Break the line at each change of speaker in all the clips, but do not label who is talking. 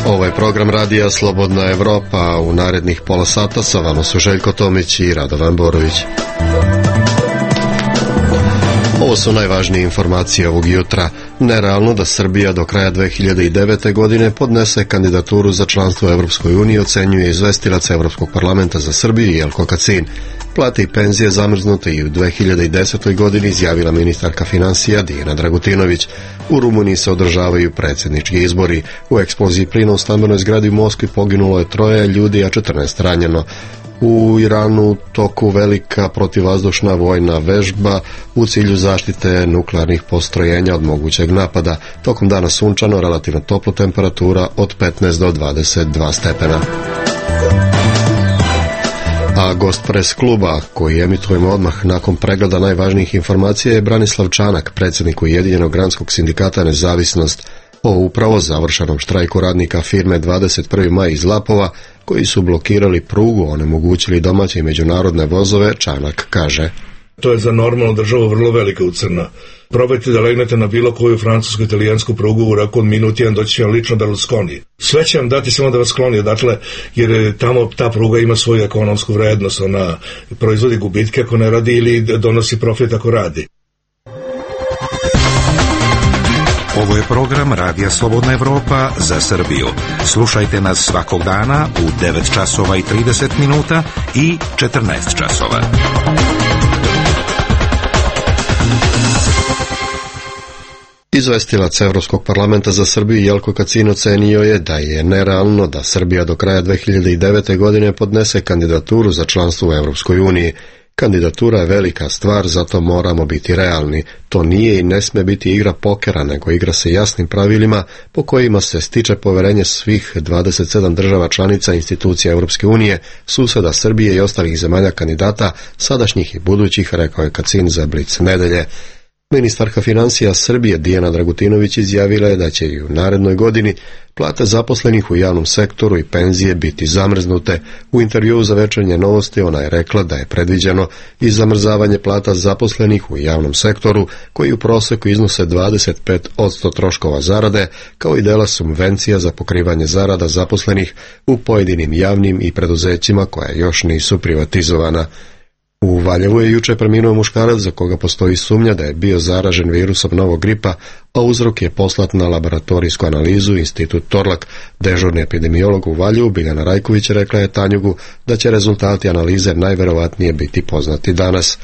Ovo je program radija Slobodna Evropa. U narednih pola sata sa vama su Željko Tomić i Radovan Borović. Ovo su najvažnije informacije ovog jutra. Nerealno da Srbija do kraja 2009. godine podnese kandidaturu za članstvo u Evropskoj uniji, ocenjuje izvestilac Evropskog parlamenta za Srbiju Jelko Kacin. Plate i penzije zamrznute i u 2010. godini, izjavila ministarka finansija Dijana Dragutinović. U Rumuniji se održavaju predsjednički izbori. U eksploziji plina u stambenoj zgradi u Moskvi poginulo je 3 ljudi, a 14 ranjeno. U Iranu toku velika protivvazdušna vojna vežba u cilju zaštite nuklearnih postrojenja od mogućeg napada. Tokom dana sunčano, relativno topla temperatura od 15 do 22 stepena. A gost pres kluba, koji emitujemo odmah nakon pregleda najvažnijih informacija, je Branislav Čanak, predsjednik Ujedinjenog granskog sindikata Nezavisnost, o upravo završenom štrajku radnika firme 21. maj iz Lapova, koji su blokirali prugu, onemogućili domaće i međunarodne vozove. Čanak kaže:
to je za normalnu državu vrlo velika ucrna. Probajte da legnete na bilo koju francusku, italijansku prugu u roku od minut jedan, doći će vam lično Berlusconi. Sve će vam dati samo da vas skloni odatle, jer tamo ta pruga ima svoju ekonomsku vrednost, ona proizvodi gubitke ako ne radi ili donosi profit ako radi.
Ovo je program Radija Slobodna Evropa za Srbiju. Slušajte nas svakog dana u 9 časova i 30 minuta i 14 časova.
Izvestilac Evropskog parlamenta za Srbiju Jelko Kacin ocenio je da je nerealno da Srbija do kraja 2009. godine podnese kandidaturu za članstvo u Evropskoj uniji. Kandidatura je velika stvar, zato moramo biti realni. To nije i ne sme biti igra pokera, nego igra se jasnim pravilima po kojima se stiče poverenje svih 27 država članica institucija Europske unije, suseda Srbije i ostalih zemalja kandidata, sadašnjih i budućih, rekao je Kacin za Blic nedelje. Ministarka financija Srbije Dijana Dragutinović izjavila je da će i u narednoj godini plate zaposlenih u javnom sektoru i penzije biti zamrznute. U intervjuu za Večernje novosti ona je rekla da je predviđeno i zamrzavanje plata zaposlenih u javnom sektoru, koji u proseku iznose 25% troškova zarade, kao i dela subvencija za pokrivanje zarada zaposlenih u pojedinim javnim i preduzećima koja još nisu privatizovana. U Valjevu je juče preminuo muškarac za koga postoji sumnja da je bio zaražen virusom novog gripa, a uzrok je poslat na laboratorijsku analizu Institut Torlak. Dežurni epidemiolog u Valjevu Biljana Rajković rekla je Tanjugu da će rezultati analize najverovatnije biti poznati danas.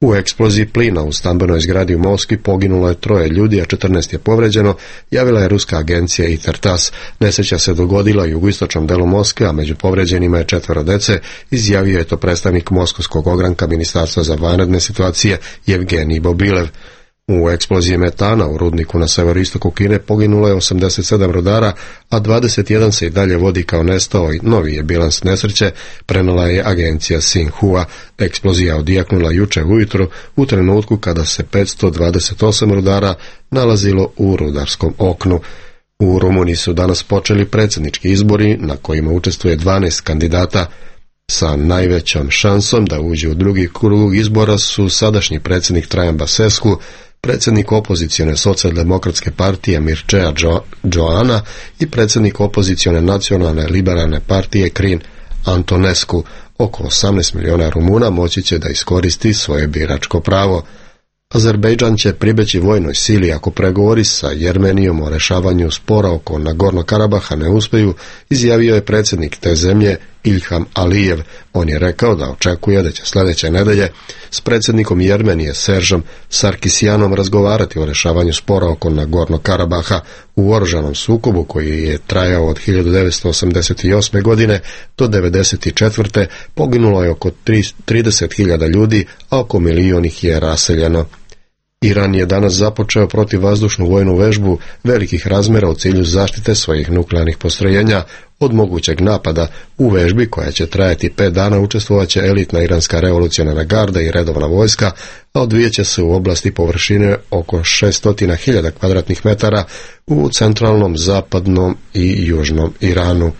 U eksploziji plina u stambenoj zgradi u Moskvi poginulo je 3 ljudi, a 14 je povređeno, javila je ruska agencija ITER-TASS. Nesreća se dogodila u jugoistočnom delu Moskve, a među povređenima je 4 dece, izjavio je to predstavnik Moskovskog ogranka Ministarstva za vanredne situacije Evgenij Bobilev. U eksploziji metana u rudniku na severoistoku Kine poginulo je 87 rudara, a 21 se i dalje vodi kao nestao i novi je bilans nesreće, prenala je agencija Xinhua. Eksplozija odjeknula juče ujutro u trenutku kada se 528 rudara nalazilo u rudarskom oknu. U Rumuniji su danas počeli predsjednički izbori na kojima učestvuje 12 kandidata. Sa najvećom šansom da uđe u drugi krug izbora su sadašnji predsjednik Trajan Basescu, predsjednik opozicione socijaldemokratske partije Mircea Joana i predsjednik opozicione nacionalne liberalne partije Crin Antonescu. Oko 18 miliona Rumuna moći će da iskoristi svoje biračko pravo. Azerbejdžan će pribeći vojnoj sili ako pregovori sa Jermenijom o rešavanju spora oko Nagorno Karabaha ne uspeju, izjavio je predsjednik te zemlje Ilham Alijev. On je rekao da očekuje da će sljedeće nedelje s predsjednikom Jermenije Seržom Sarkisjanom razgovarati o rešavanju spora oko Nagorno Karabaha. U oružanom sukobu koji je trajao od 1988. godine do 1994. poginulo je oko 30.000 ljudi, a oko 1 milion ih je raseljeno. Iran je danas započeo protivvazdušnu vojnu vežbu velikih razmjera u cilju zaštite svojih nuklearnih postrojenja od mogućeg napada. U vežbi, koja će trajati 5 dana, učestvovaće elitna iranska revolucionarna garda i redovna vojska, a odvijeće se u oblasti površine oko 600.000 kvadratnih metara u centralnom, zapadnom i južnom Iranu.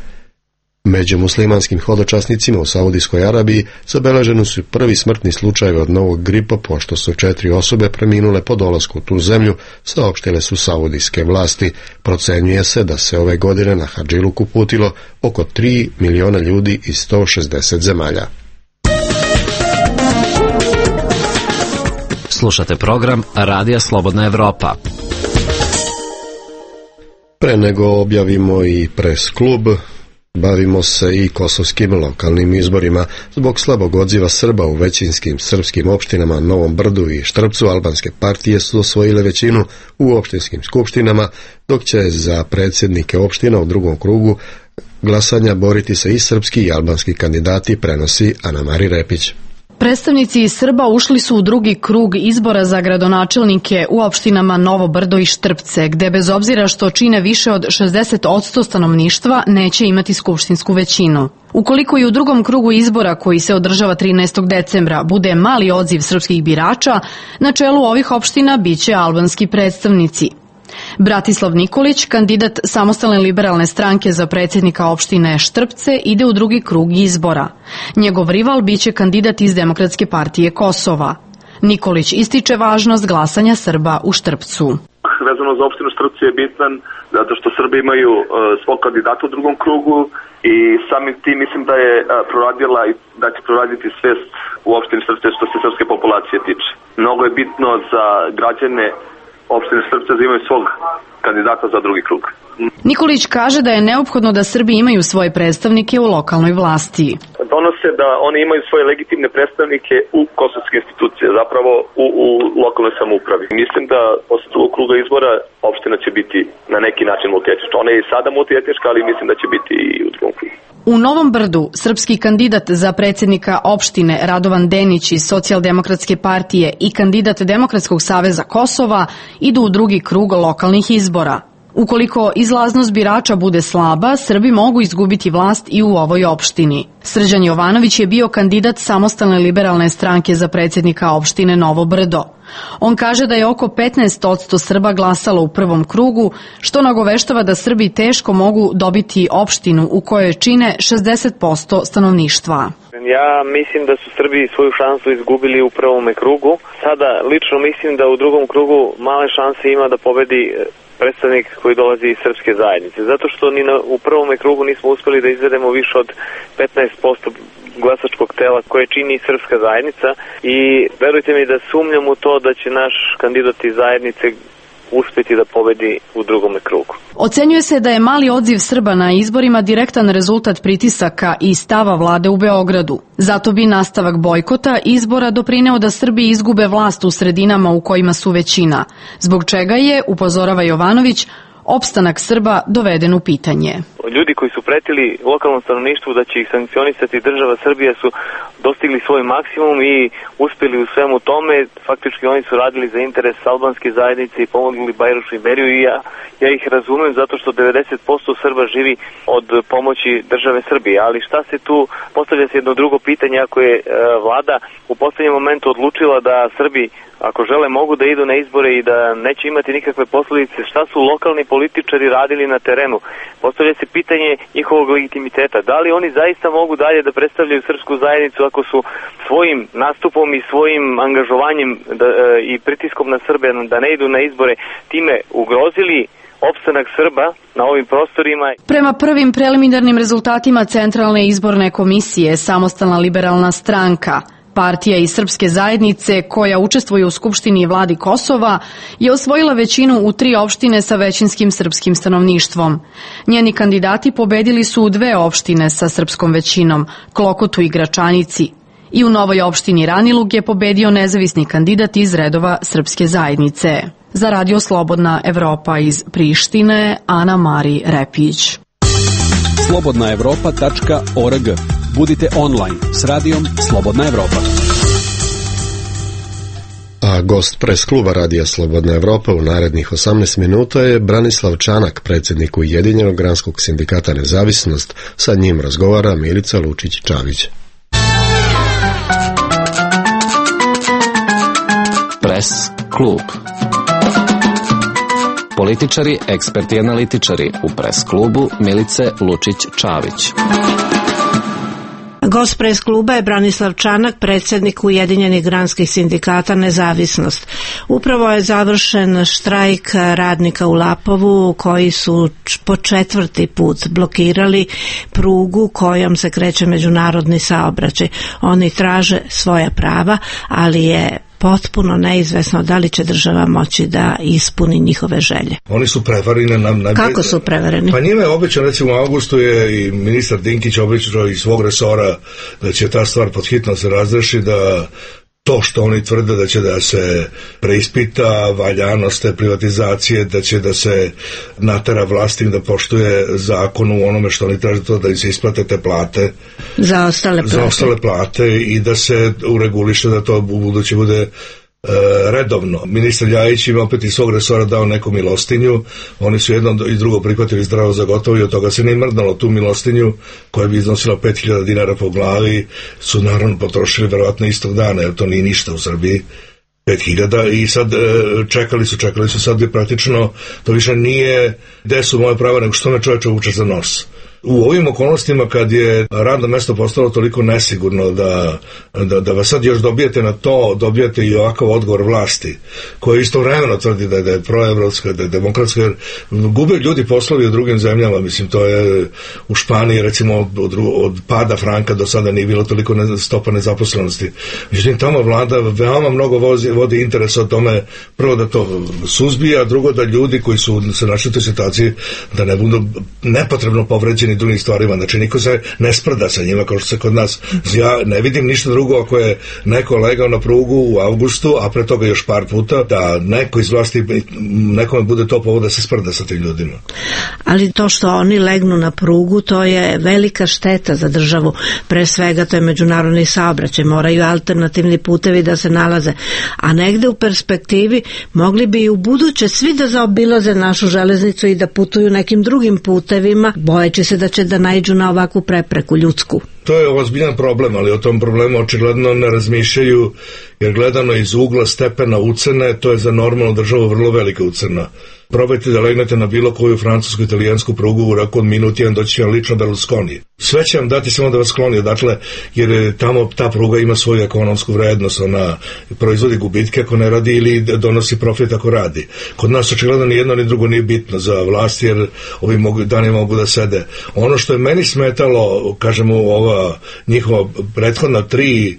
Među muslimanskim hodočasnicima u Saudijskoj Arabiji zabeleženi su prvi smrtni slučajevi od novog gripa, pošto su 4 osobe preminule po dolasku u tu zemlju, saopštile su saudijske vlasti. Procenjuje se da se ove godine na Hadžiluku uputilo oko 3 miliona ljudi iz 160 zemalja.
Slušate program Radija Slobodna Evropa.
Pre nego objavimo i pres klub, bavimo se i kosovskim lokalnim izborima. Zbog slabog odziva Srba u većinskim srpskim opštinama Novom Brdu i Štrpcu, albanske partije su osvojile većinu u opštinskim skupštinama, dok će za predsjednike opština u drugom krugu glasanja boriti se i srpski i albanski kandidati, prenosi Ana-Mari Repić.
Predstavnici Srba ušli su u drugi krug izbora za gradonačelnike u opštinama Novo Brdo i Štrpce, gde bez obzira što čine više od 60% stanovništva neće imati skupštinsku većinu. Ukoliko i u drugom krugu izbora, koji se održava 13. decembra, bude mali odziv srpskih birača, na čelu ovih opština biće albanski predstavnici. Bratislav Nikolić, kandidat Samostalne liberalne stranke za predsjednika opštine Štrpce, ide u drugi krug izbora. Njegov rival biće kandidat iz Demokratske partije Kosova. Nikolić ističe važnost glasanja Srba u Štrpcu.
Vezano za opštinu Štrpce je bitan zato što Srbi imaju svog kandidata u drugom krugu i samim tim mislim da je proradila i da će proraditi svest u opštini Štrpce što se srpske populacije tiče. Mnogo je bitno za građane opštine Štrpce da imaju svog kandidata za drugi krug.
Nikolić kaže da je neophodno da Srbi imaju svoje predstavnike u lokalnoj vlasti.
Donose da oni imaju svoje legitimne predstavnike u kosovske institucije, zapravo u lokalnoj samoupravi. Mislim da posle drugog kruga izbora opština će biti na neki način multietnička. Ona je i sada multietnička, ali mislim da će biti i u drugom krugu.
U Novom Brdu srpski kandidat za predsjednika opštine Radovan Denić iz Socijaldemokratske partije i kandidat Demokratskog saveza Kosova idu u drugi krug lokalnih izbora. Ukoliko izlaznost birača bude slaba, Srbi mogu izgubiti vlast i u ovoj opštini. Srđan Jovanović je bio kandidat Samostalne liberalne stranke za predsjednika opštine Novo Brdo. On kaže da je oko 15% Srba glasalo u prvom krugu, što nagoveštava da Srbi teško mogu dobiti opštinu u kojoj čine 60% stanovništva.
Ja mislim da su Srbi svoju šansu izgubili u prvome krugu. Sada lično mislim da u drugom krugu male šanse ima da pobedi predstavnik koji dolazi iz srpske zajednice. Zato što ni u prvome krugu nismo uspeli da izvedemo više od 15% glasačkog tela koje čini srpska zajednica i verujte mi da sumnjam u to da će naš kandidat iz zajednice uspjeti da pobedi u drugome krugu.
Ocenjuje se da je mali odziv Srba na izborima direktan rezultat pritisaka i stava vlade u Beogradu. Zato bi nastavak bojkota izbora doprineo da Srbi izgube vlast u sredinama u kojima su većina, zbog čega je, upozorava Jovanović, opstanak Srba doveden u pitanje.
Ljudi koji su pretili lokalnom stanovništvu da će ih sankcionisati država Srbija su dostigli svoj maksimum i uspjeli u svemu tome. Faktički oni su radili za interes albanske zajednice i pomogli Bajrošu i Beriju i ja ih razumem zato što 90% Srba živi od pomoći države Srbije. Ali šta se tu, postavlja se jedno drugo pitanje, ako je vlada u poslednjem momentu odlučila da Srbi ako žele mogu da idu na izbore i da neće imati nikakve posljedice, šta su lokalni političari radili na terenu? Postavlja se pitanje njihovog legitimiteta. Da li oni zaista mogu dalje da predstavljaju srpsku zajednicu ako su svojim nastupom i svojim angažovanjem i pritiskom na Srbe da ne idu na izbore time ugrozili opstanak Srba na ovim prostorima?
Prema prvim preliminarnim rezultatima Centralne izborne komisije, Samostalna liberalna stranka, partija iz srpske zajednice koja učestvuje u Skupštini i vladi Kosova, je osvojila većinu u 3 opštine sa većinskim srpskim stanovništvom. Njeni kandidati pobedili su u 2 opštine sa srpskom većinom, Klokotu i Gračanici. I u novoj opštini Ranilug je pobedio nezavisni kandidat iz redova srpske zajednice. Za Radio Slobodna Evropa iz Prištine, Ana-Mari Repić.
slobodnaevropa.org. Budite online s radijom Slobodna Evropa.
A gost pres kluba Radija Slobodna Evropa u narednih 18 minuta je Branislav Čanak, predsjednik Ujedinjenog granskog sindikata Nezavisnost. Sa njim razgovara Milica Lučić-Čavić.
Pres klub. Političari, eksperti i analitičari u Pres klubu Milice Lučić-Čavić.
Gost Pres kluba je Branislav Čanak, predsjednik Ujedinjenih granskih sindikata Nezavisnost. Upravo je završen štrajk radnika u Lapovu koji su po 4. put blokirali prugu kojom se kreće međunarodni saobraćaj. Oni traže svoja prava, ali je potpuno neizvesno da li će država moći da ispuni njihove želje.
Oni su prevareni.
Kako su prevareni?
Pa njima je obećano, recimo u augustu je i ministar Dinkić obećao iz svog resora da će ta stvar pod hitno se razreši, da to što oni tvrde da će da se preispita valjanost te privatizacije, da će da se natera vlasti da poštuje zakon u onome što oni traže, to da im se isplate te plate
za ostale plate
i da se ureguliše da to u buduće bude redovno. Ministar Ljajić im opet iz svog resora dao neku milostinju, oni su jedno i drugo prihvatili zdravo za gotovo i od toga se ne mrdalo. Tu milostinju koja bi iznosila 5.000 dinara po glavi su naravno potrošili verovatno istog dana, jer to nije ništa u Srbiji. 5.000 i sad čekali su, sad je praktično to više nije gde su moje prava, nego što me čoveče vuče za nos. U ovim okolnostima kad je radno mesto postalo toliko nesigurno da vas sad još dobijete na to, dobijete i ovakav odgovor vlasti koji istovremeno tvrdi da je proevropska, da je demokratska, jer gube ljudi poslovi u drugim zemljama, mislim to je u Španiji recimo od pada franka do sada nije bilo toliko stopa nezaposlenosti. Međutim tamo vlada veoma mnogo vodi interes o tome, prvo da to suzbija, drugo da ljudi koji su se našli u toj situaciji da ne budu nepotrebno povređeni drugim stvarima, znači niko se ne sprda sa njima kao što se kod nas. Ja ne vidim ništa drugo ako je neko legao na prugu u avgustu, a pre toga još par puta, da neko iz vlasti nekome bude to povod da se sprda sa tim ljudima.
Ali to što oni legnu na prugu, to je velika šteta za državu, pre svega to je međunarodni saobraćaj, moraju alternativni putevi da se nalaze, a negde u perspektivi mogli bi i u buduće svi da zaobilaze našu železnicu i da putuju nekim drugim putevima, bojeći se da će da naiđu na ovakvu prepreku ljudsku.
To je ozbiljan problem, ali o tom problemu očigledno ne razmišljaju, jer gledano iz ugla stepena ucene, to je za normalnu državu vrlo velika ucena. Probajte da legnete na bilo koju francusku, italijansku prugu u roku od minut jedan, doći će vam lično Berlusconi. Sve će vam dati samo da vas skloni odatle, jer tamo ta pruga ima svoju ekonomsku vrednost, ona proizvodi gubitke ako ne radi ili donosi profit ako radi. Kod nas očigledno ni jedno ni drugo nije bitno za vlast, jer ovi dani mogu da sede. Ono što je meni smetalo, kažemo, ova njihova prethodna 3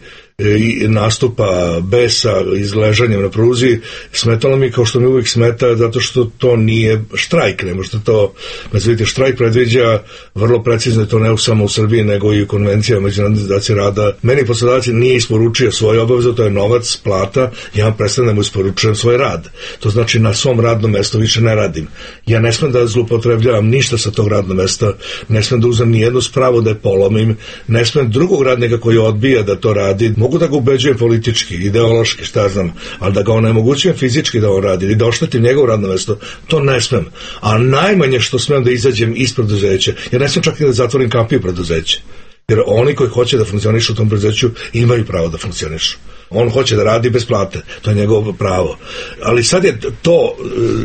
nastupa besa izležanjem na pruzi, smetalo mi kao što mi uvijek smeta, zato što to nije štrajk, ne možete to, vidite, štrajk predviđa vrlo precizno, to ne samo u Srbiji nego i u konvencijama Međunarodne organizacije rada. Meni poslodavac nije isporučio svoje obaveze, to je novac, plata, ja prestanem da mu isporučujem svoj rad. To znači na svom radnom mestu više ne radim. Ja ne smem da zloupotrebljavam ništa sa tog radnog mesta, ne smem da uzem ni jednu spravu da je polomim, ne smem drugog radnika koji odbija da to radi. Mogu da ga ubeđujem politički, ideološki, šta znam, ali da ga onemogućujem fizički da on radi ili da oštetim njegovo radno mesto, to ne smem. A najmanje što smem da izađem iz preduzeća, jer ne smem čak i da zatvorim kapiju preduzeća. Jer oni koji hoće da funkcionišu u tom preduzeću imaju pravo da funkcionišu. On hoće da radi bez plate, to je njegovo pravo. Ali sad je to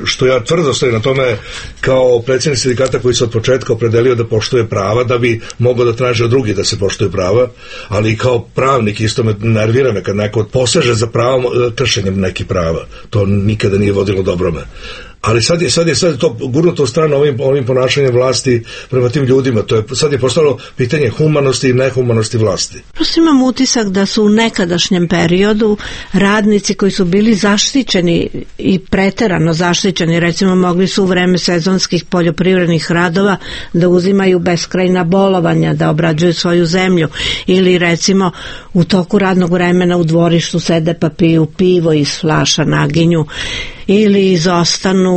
što ja tvrdo stojim na tome kao predsjednik sindikata koji se od početka opredelio da poštuje prava, da bi mogao da traži od drugih da se poštuje prava, ali i kao pravnik isto me nervira me kad neko poseže za pravom kršenjem nekih prava. To nikada nije vodilo dobrome. Ali sad je to gurnuto u stranu ovim ponašanjem vlasti prema tim ljudima. Sad je postalo pitanje humanosti i nehumanosti vlasti.
Prosto imam utisak da su u nekadašnjem periodu radnici koji su bili zaštićeni i preterano zaštićeni, recimo mogli su u vreme sezonskih poljoprivrednih radova da uzimaju beskrajna bolovanja, da obrađuju svoju zemlju, ili recimo u toku radnog vremena u dvorištu sede pa piju pivo iz flaša, naginju, ili izostanu,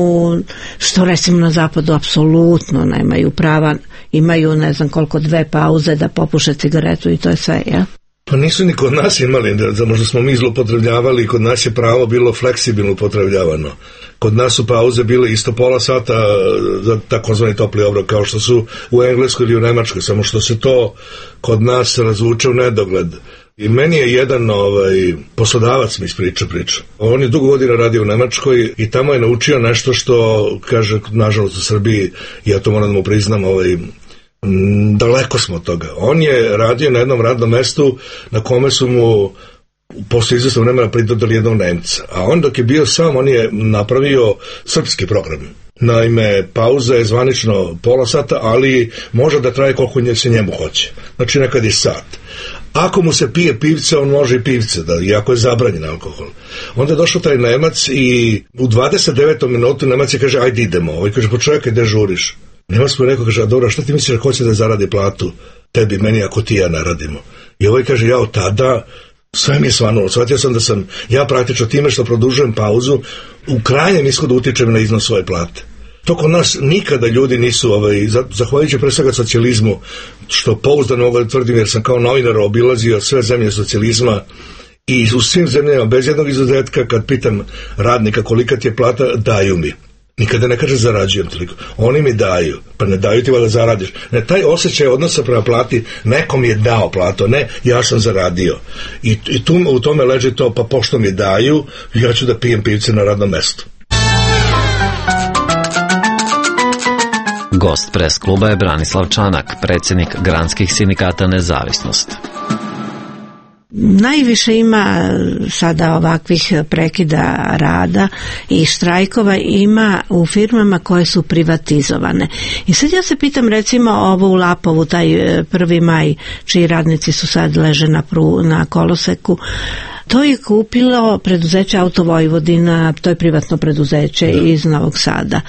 što recimo na zapadu apsolutno nemaju prava, imaju ne znam koliko 2 pauze da popuše cigaretu i to je sve, ja?
Pa nisu ni kod nas imali, možda smo mi zloupotrebljavali, kod nas je pravo bilo fleksibilno upotrebljavano. Kod nas su pauze bile isto pola sata za takozvani topli obrok, kao što su u Engleskoj ili u Nemačkoj, samo što se to kod nas razvuče u nedogled. I meni je jedan poslodavac mi ispriča priču. On je dugo godina radio u Nemačkoj i tamo je naučio nešto što, kaže, nažalost u Srbiji, ja to moram da mu priznam, daleko smo od toga. On je radio na jednom radnom mestu na kome su mu posle izvesnog vremena pridodali jednog Nemca. A on dok je bio sam, on je napravio srpski program. Naime, pauza je zvanično pola sata, ali može da traje koliko se njemu hoće. Znači nekad je sat. Ako mu se pije pivce, on može i pivce, iako je zabranjen alkohol. Onda je došao taj Nemac i u 29. minutu Nemac je kaže, ajde idemo. Ovaj kaže, počekaj, gde žuriš? Nemac mu je rekao, kaže, a dobro, šta ti misliš da hoće da zaradi platu tebi, meni, ako ti ja naradimo? I ovaj kaže, ja od tada sve mi je svanulo. Shvatio sam da sam ja praktično time što produžujem pauzu u krajnjem ishodu utičem na iznos svoje plate. To kod nas nikada ljudi nisu, zahvaljujući pre svega socijalizmu, što pouzdano mogu da tvrdim jer sam kao novinar obilazio sve zemlje socijalizma i u svim zemljama bez jednog izuzetka kad pitam radnika kolika ti je plata, daju mi. Nikada ne kaže zarađujem toliko. Oni mi daju, pa ne daju ti da zaradiš. Ne, taj osjećaj odnosa prema plati, nekom je dao platu, ne, ja sam zaradio. I u tome leži to, pa pošto mi daju, ja ću da pijem pivce na radnom mestu.
Gost pres kluba je Branislav Čanak, predsjednik Granskih sindikata Nezavisnost.
Najviše ima sada ovakvih prekida rada i štrajkova ima u firmama koje su privatizovane. I sad ja se pitam, recimo ovo u Lapovu, taj 1. maj, čiji radnici su sad leže na koloseku, to je kupilo preduzeće Auto Vojvodina, to je privatno preduzeće iz Novog Sada.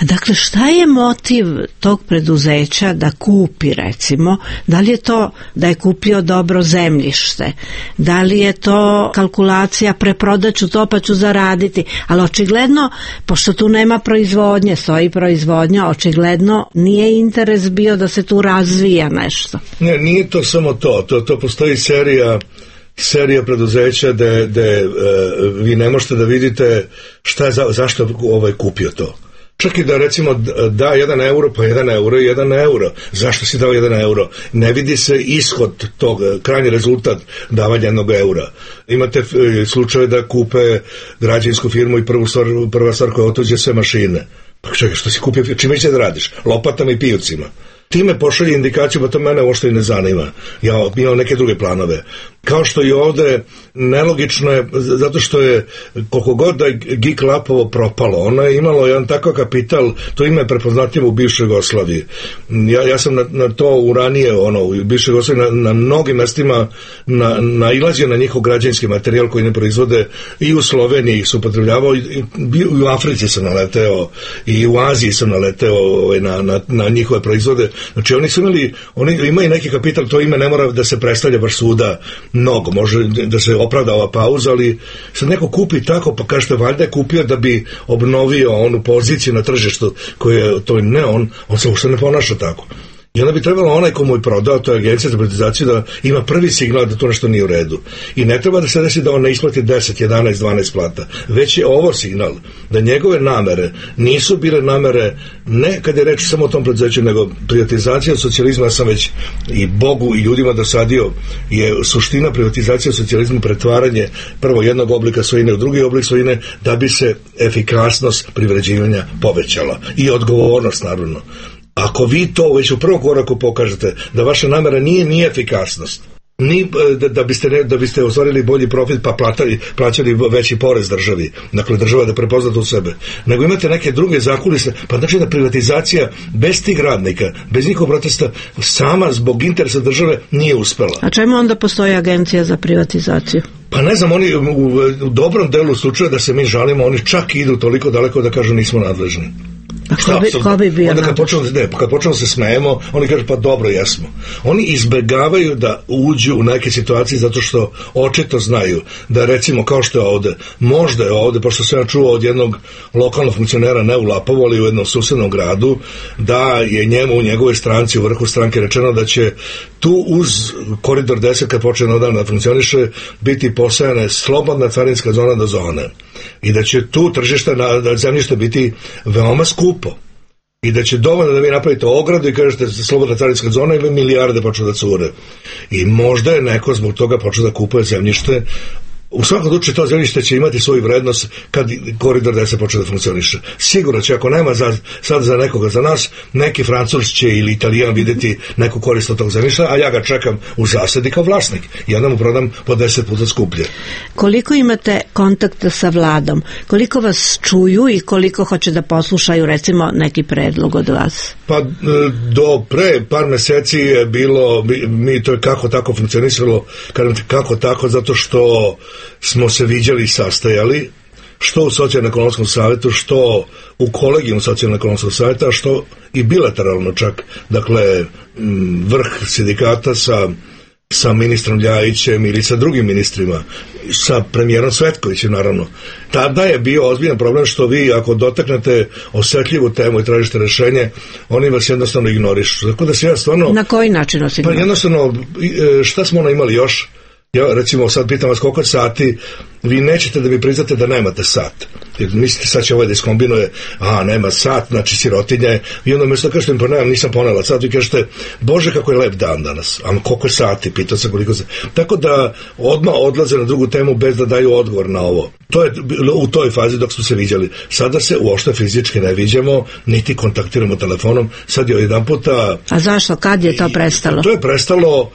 Dakle, šta je motiv tog preduzeća da kupi, recimo, da li je to da je kupio dobro zemljište, da li je to kalkulacija preprodaću to pa ću zaraditi, ali očigledno, pošto tu nema proizvodnje, stoji proizvodnja, očigledno nije interes bio da se tu razvija nešto.
Ne, nije to samo to postoji serija preduzeća gde vi ne možete da vidite zašto kupio to. Čak i da recimo da 1 euro, pa 1 euro i 1 euro. Zašto si dao 1 euro? Ne vidi se ishod tog, krajnji rezultat davanja 1 eura. Imate slučaje da kupe građevinsku firmu i prva stvar koja otuđe sve mašine. Pa čekaj, što si kupio? Čime će da radiš? Lopatama i pijocima. Time pošalje indikaciju, pa to mene uopšte i ne zanima. Ja imam neke druge planove. Kao što i ovde, nelogično je, zato što je, koliko god da je GIK Lapovo propalo, ono je imalo jedan takav kapital, to ime je prepoznatljivo u bivšoj Jugoslaviji. Ja sam na to ranije, u bivšoj Jugoslaviji, na mnogim mestima nailazio na njihov građevinski materijal koji ne proizvode, i u Sloveniji su upotrebljavao, i u Africi sam naleteo, i u Aziji sam naleteo na njihove proizvode. Znači oni imaju neki kapital, to ime ne mora da se predstavlja baš svuda mnogo, može da se opravda ova pauza, ali sad neko kupi tako, pa kažete valjda je kupio da bi obnovio onu poziciju na tržištu koje to ne, on se uopšte ne ponaša tako. I onda bi trebalo onaj ko mu je prodao, to je agencija za privatizaciju, da ima prvi signal da to nešto nije u redu. I ne treba da se desi da on ne isplati 10, 11, 12 plata. Već je ovo signal da njegove namere nisu bile namere, ne kad je reč samo o tom preduzeću, nego privatizacija socijalizma. Ja sam već i Bogu i ljudima dosadio, je suština privatizacije socijalizma pretvaranje prvo jednog oblika svojine u drugi oblik svojine, da bi se efikasnost privređivanja povećala. I odgovornost, naravno. Ako vi to već u prvom koraku pokažete da vaša namera nije efikasnost, ni da biste ostvarili bolji profit pa plaćali veći porez državi, dakle država da prepozna to u sebe, nego imate neke druge zakulisne, pa znači da privatizacija bez tih radnika, bez njihovog protesta, sama zbog interesa države nije uspela.
A čemu onda postoji agencija za privatizaciju?
Pa ne znam, oni u dobrom delu slučaja da se mi žalimo, oni čak idu toliko daleko da kažu nismo nadležni.
Ko bi bio?
Onda kad počnemo se smejemo, oni kažu pa dobro, jesmo. Oni izbegavaju da uđu u neke situacije zato što očito znaju da, recimo, kao što je ovde, možda je ovde, pošto sam ja čuo od jednog lokalnog funkcionera, ne u Lapovu, ali u jednom susednom gradu, da je njemu u njegovoj stranci, u vrhu stranke rečeno da će tu uz koridor 10 kad počne odavno da funkcioniše biti posajane slobodna carinska zona do zone i da će tu tržište na zemljište biti veoma skupo i da će dovoljno da vi napravite ogradu i kažete slobodna carinska zona i milijarde počnu da cure. I možda je neko zbog toga počeo da kupuje zemljište. U svakom slučaju to zemljište će imati svoju vrednost kad koridor 10 počne da funkcioniše. Sigurno će, ako nema sad za nekoga za nas, neki Francuz će ili Italijan videti neku korist od tog zemljišta, a ja ga čekam u zasadi kao vlasnik i onda mu prodam po 10 puta skuplje.
Koliko imate kontakta sa vladom? Koliko vas čuju i koliko hoće da poslušaju recimo neki predlog od vas?
Pa do pre par meseci je bilo, mi to je kako tako funkcionisalo, kako tako, zato što smo se viđali i sastajali, što u Socijalno-ekonomskom savjetu, što u kolegijum Socijalno-ekonomskog savjeta, što i bilateralno čak, dakle, vrh sindikata sa ministrom Ljajićem ili sa drugim ministrima, sa premijerom Cvetkovićem naravno. Tada je bio ozbiljan problem što vi ako dotaknete osetljivu temu i tražite rešenje, oni vas jednostavno ignorišu. Tako da se ja stvarno...
Na koji način vas ignorišu?
Pa jednostavno, šta smo imali još? Ja recimo sad pitam vas koliko sati, vi nećete da mi priznate da nemate sat. Jer mislite sad će ovaj da iskombinuje, nema sat, znači sirotinja je, i onda umjesto kažete mi pa nemam, nisam ponela sat, vi kažete Bože kako je lep dan danas, a koliko je sati, pitao sam koliko sati. Tako da odmah odlaze na drugu temu bez da daju odgovor na ovo. To je u toj fazi dok smo se viđali. Sada se uopšte fizički ne viđamo, niti kontaktiramo telefonom, sad je jedan puta...
A zašto? Kad je to prestalo?
To je prestalo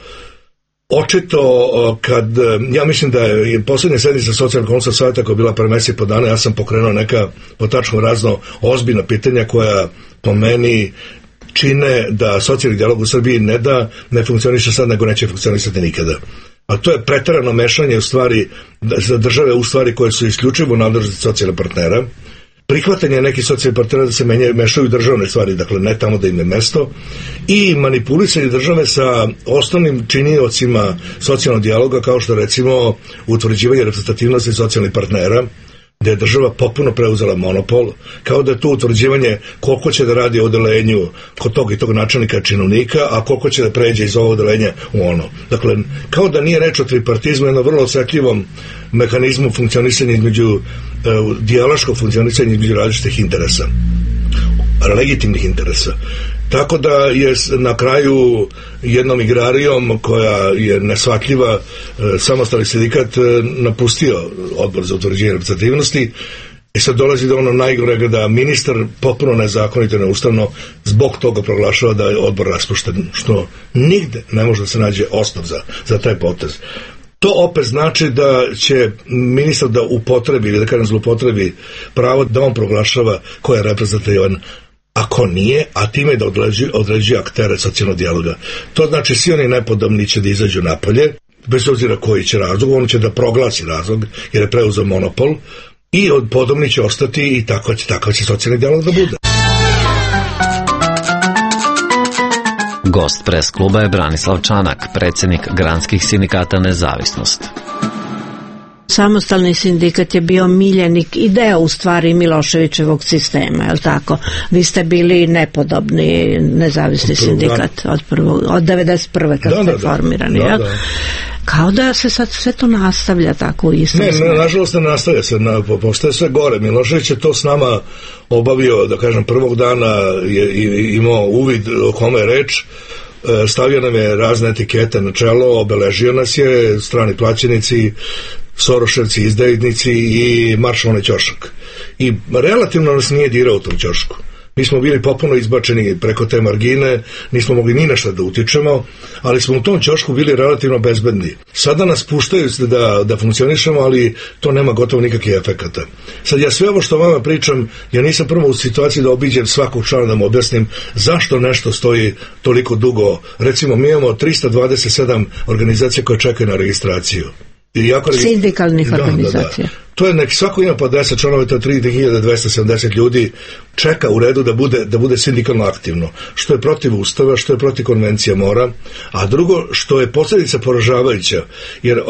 očito ja mislim da je posljednja sednica Socijalno-ekonomskog savjeta koja je bila pre mesec i po dana, ja sam pokrenuo neka po tačku razno ozbiljna pitanja koja po meni čine da socijalni dijalog u Srbiji ne da ne funkcioniše sad, nego neće funkcionisati nikada. A to je preterano mešanje u stvari za države u stvari koje su isključivo u nadležnosti socijalnih partnera, prihvatanje nekih socijalnih partnera da se mešaju državne stvari, dakle ne tamo da im je mesto, i manipulisanje države sa osnovnim činiocima socijalnog dijaloga, kao što recimo utvrđivanje reprezentativnosti socijalnih partnera, gde je država potpuno preuzela monopol, kao da je to utvrđivanje koliko će da radi o odelenju kod tog i tog načelnika činovnika, a koliko će da pređe iz ovog odelenja u ono. Dakle, kao da nije reč o tripartizmu, jednom vrlo osetljivom mehanizmu funkcionisanja između dijaloškog funkcionisanja između različitih interesa, legitimnih interesa. Tako da je na kraju jednom igrarijom koja je nesvatljiva samostalni sindikat napustio odbor za utvrđivanje reprezentativnosti i sad dolazi do ono najgorega da ministar potpuno nezakonito i neustavno zbog toga proglašava da je odbor raspušten, što nigde ne može da se nađe osnov za taj potez. To opet znači da će ministar da upotrebi ili da kažem zlupotrebi pravo da on proglašava ko je reprezentativan, ako nije, a time da određuje aktere socijalnog dijaloga. To znači svi oni nepodobni će da izađu napolje, bez obzira koji će razlog, on će da proglasi razlog jer je preuzeo monopol, i podobni će ostati i tako će socijalni dijalog da bude.
Gost pres kluba je Branislav Čanak, predsjednik granskih sindikata Nezavisnost.
Samostalni sindikat je bio miljenik i deo u stvari Miloševićevog sistema, je li tako? Vi ste bili nepodobni nezavisni sindikat od 91. kad ste formirani, jel? Da. Kao da se sad sve to nastavlja tako u istom smeru.
Ne, nažalost ne nastavlja se, postaje sve gore. Milošević je to s nama obavio, da kažem, prvog dana je imao uvid o kome je reč, stavio nam je razne etikete na čelo, obeležio nas je, strani plaćenici, Soroševci, izdajnici i maršalni ćošak. I relativno nas nije dirao u tom ćošku. Mi smo bili potpuno izbačeni preko te margine, nismo mogli ni nešto da utičemo, ali smo u tom ćošku bili relativno bezbedni. Sada nas puštaju da funkcionišemo, ali to nema gotovo nikakvih efekata. Sad ja sve ovo što vama pričam, ja nisam prvo u situaciji da obiđem svakog člana da mu objasnim zašto nešto stoji toliko dugo. Recimo, mi imamo 327 organizacija koje čekaju na registraciju.
Sindikalnih organizacija.
To je svako ima po 10 članova, to je 3270 ljudi čeka u redu da bude sindikalno aktivno, što je protiv ustava, što je protiv konvencija mora, a drugo što je posljedica poražavajuća, jer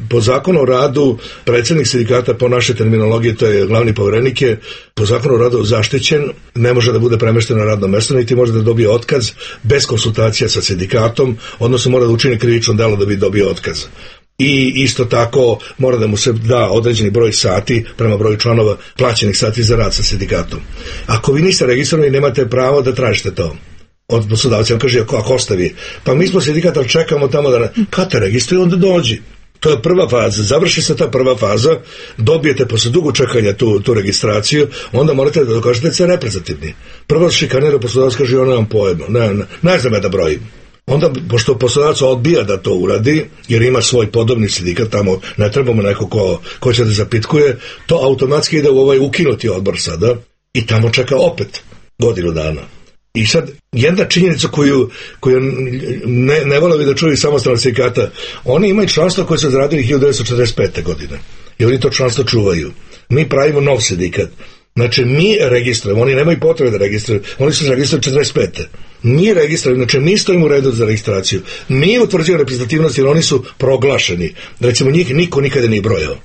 po zakonu o radu predsjednik sindikata, po našoj terminologiji, to je glavni povjerenik, je po zakonu o radu zaštićen, ne može da bude premešten na radno mesto, niti može da dobije otkaz bez konsultacija sa sindikatom, odnosno mora da učini krivično delo da bi dobio otkaz. i isto tako mora da mu se da određeni broj sati prema broju članova plaćenih sati za rad sa sindikatom. Ako vi niste registrovani, nemate pravo da tražite to od poslodavca. On kaže, ako ostavi, pa mi smo sindikat, ali čekamo tamo da kad te registruje, onda dođi. To je prva faza, završi se ta prva faza, dobijete posle dugo čekanja tu registraciju, onda morate da dokažete da ste reprezentativni. Prvo šikanira poslodavac, kaže, ja nemam pojma, ne znam ja da brojim. Onda, pošto poslodavac odbija da to uradi, jer ima svoj podobni sindikat, tamo ne trebamo neko ko će da zapitkuje, to automatski ide u ovaj ukinuti odbor sada i tamo čeka opet godinu dana. I sad, jedna činjenica koju ne vole bi da čuju samostalna sindikata, oni imaju članstvo koje su zaradili 1945. godine i oni to članstvo čuvaju. Mi pravimo nov sindikat. Znači, mi registrujemo, oni nemaju potrebe da registruju, oni su registrovali 45. Mi registrujemo, znači mi stojimo u redu za registraciju. Mi utvrđujemo reprezentativnost jer oni su proglašeni. Recimo, njih niko nikada nije brojao.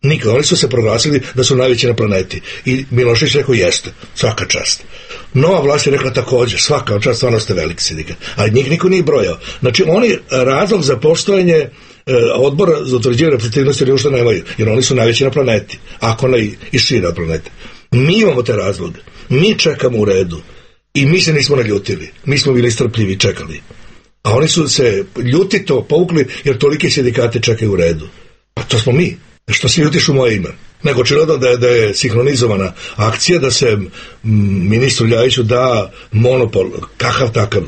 Nikada. Oni su se proglasili da su najveći na planeti. I Milošević rekao, jeste, svaka čast. Nova vlast je rekla također, svaka čast, stvarno ste veliki sindikat. Ali njih niko nije brojao. Znači, oni razlog za postojanje odbora za utvrđivanje reprezentativnosti ili ušto nemaju, jer oni su najveći na planeti, ako ne i šire od planete. Mi imamo te razloge. Mi čekamo u redu. I mi se nismo naljutili. Mi smo bili strpljivi i čekali. A oni su se ljutito povukli jer tolike sindikate čekaju u redu. Pa to smo mi. Što se ljutiš u moje ime? Nego očigledno da je sinhronizovana akcija, da se ministru Ljajiću da monopol, kakav takav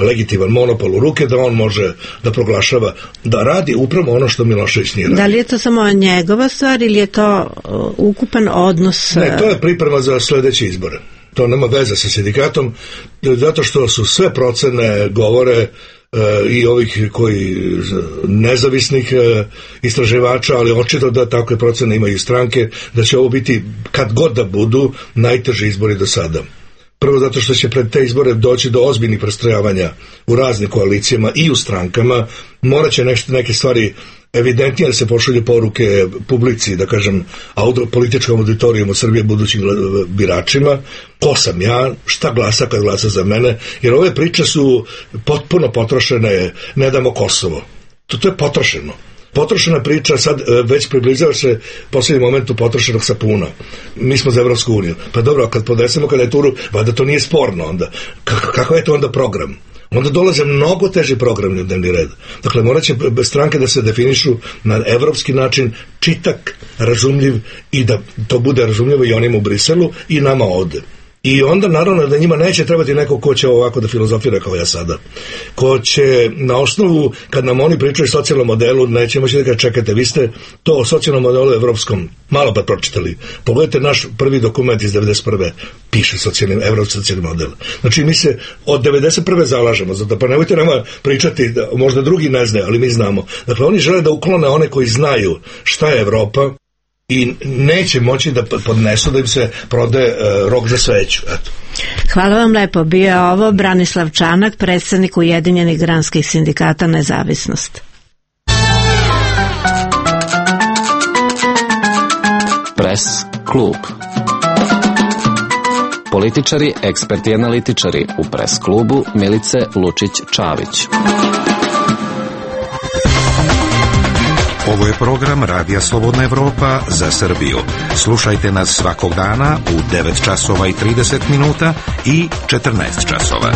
legitiman monopol u ruke, da on može da proglašava, da radi upravo ono što Milošević nije radi.
Da li je to samo njegova stvar ili je to ukupan odnos?
Ne, to je priprema za sledeće izbore. To nema veze sa sindikatom, zato što su sve procene govore i ovih koji nezavisnih istraživača, ali očito da takve procene imaju stranke, da će ovo biti, kad god da budu, najteži izbori do sada. Prvo zato što će pred te izbore doći do ozbiljnih prestrojavanja u raznim koalicijama i u strankama, morat će neke stvari evidentnije da se pošalju poruke publici, da kažem, političkom auditorijumu Srbije, budućim biračima, ko sam ja, šta glasa kad glasa za mene, jer ove priče su potpuno potrošene, ne damo Kosovo. To je potrošeno. Potrošena priča, sad već približava se posljednji momentu potrošenog sapuna. Mi smo za Evropsku uniju. Pa dobro, kad podesemo kandidaturu, valjda to nije sporno onda. Kakav je to onda program? Onda dolaze mnogo teži programi u dnevni red. Dakle, morat će stranke da se definišu na evropski način, čitak, razumljiv i da to bude razumljivo i onima u Briselu i nama ovde. I onda naravno da njima neće trebati neko ko će ovako da filozofira kao ja sada. Ko će na osnovu, kad nam oni pričaju o socijalnom modelu, neće moći da ga čekate. Vi ste to o socijalnom modelu evropskom malo pa pročitali. Pogledajte naš prvi dokument iz 1991. Piše evropski socijalni model. Znači mi se od 1991. zalažemo za to. Pa nemojte nama pričati, da možda drugi ne znaju, ali mi znamo. Dakle, oni žele da uklone one koji znaju šta je Evropa i neće moći da podnesu da im se prode rok za sveću. Eto.
Hvala vam lepo. Bio je ovo Branislav Čanak, predstavnik Ujedinjenih granskih sindikata Nezavisnost.
Pres klub. Političari, eksperti i analitičari u Pres klubu Milice Lučić-Čavić.
Ovo je program Radija Slobodna Evropa za Srbiju. Slušajte nas svakog dana u 9 časova i 30 minuta i 14 časova.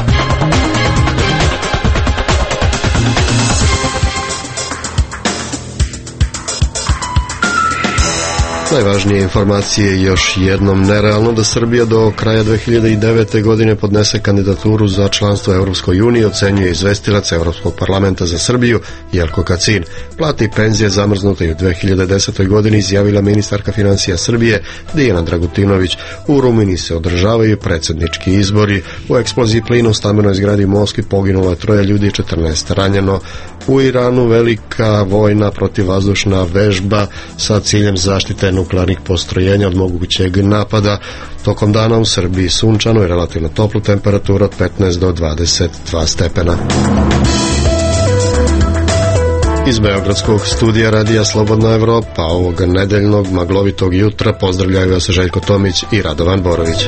Najvažnije informacije još jednom. Nerealno da Srbija do kraja 2009. godine podnese kandidaturu za članstvo Evropskoj uniji, ocenjuje izvestilac Evropskog parlamenta za Srbiju Jelko Kacin. Plate i penzije zamrznute i u 2010. godini izjavila ministarka financija Srbije Dijana Dragutinović. U Rumuniji se održavaju predsjednički izbori. U eksploziji plina u stambenoj zgradi u Moskvi poginulo je 3 ljudi i 14 ranjeno. U Iranu velika vojna protivvazdušna vežba sa ciljem zaštite nuklearnih postrojenja od mogućeg napada. Tokom dana u Srbiji sunčano i relativno toplu temperaturu od 15 do 22 stepena. Iz Beogradskog studija Radija Slobodna Evropa ovog nedeljnog maglovitog jutra pozdravljaju vas Željko Tomić i Radovan Borović.